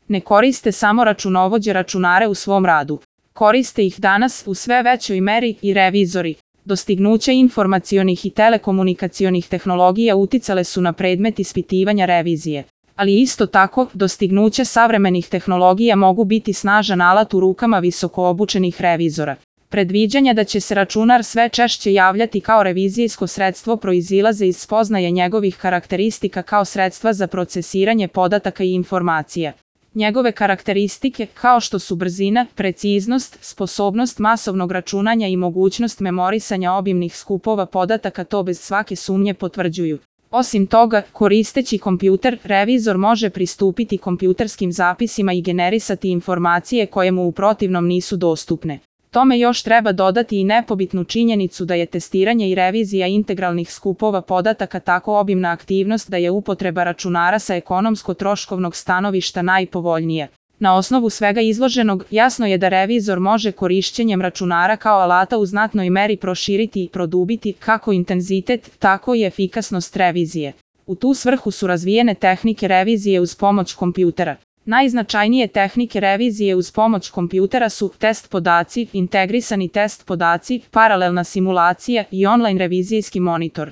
Ne koriste samo računovođe računare u svom radu. Koriste ih danas u sve većoj meri i revizori. Dostignuća informacionih i telekomunikacionih tehnologija uticale su na predmet ispitivanja revizije. Ali isto tako, dostignuće savremenih tehnologija mogu biti snažan alat u rukama visoko obučenih revizora. Predviđanja da će se računar sve češće javljati kao revizijsko sredstvo proizilaze iz spoznaje njegovih karakteristika kao sredstva za procesiranje podataka i informacija. Njegove karakteristike, kao što su brzina, preciznost, sposobnost masovnog računanja i mogućnost memorisanja obimnih skupova podataka to bez svake sumnje potvrđuju. Osim toga, koristeći kompjuter, revizor može pristupiti kompjuterskim zapisima i generisati informacije koje mu u protivnom nisu dostupne. Tome još treba dodati i nepobitnu činjenicu da je testiranje i revizija integralnih skupova podataka tako obimna aktivnost da je upotreba računara sa ekonomsko-troškovnog stanovišta najpovoljnija. Na osnovu svega izloženog, jasno je da revizor može korišćenjem računara kao alata u znatnoj meri proširiti i produbiti kako intenzitet, tako i efikasnost revizije. U tu svrhu su razvijene tehnike revizije uz pomoć kompjutera. Najznačajnije tehnike revizije uz pomoć kompjutera su test podaci, integrisani test podaci, paralelna simulacija i online revizijski monitor.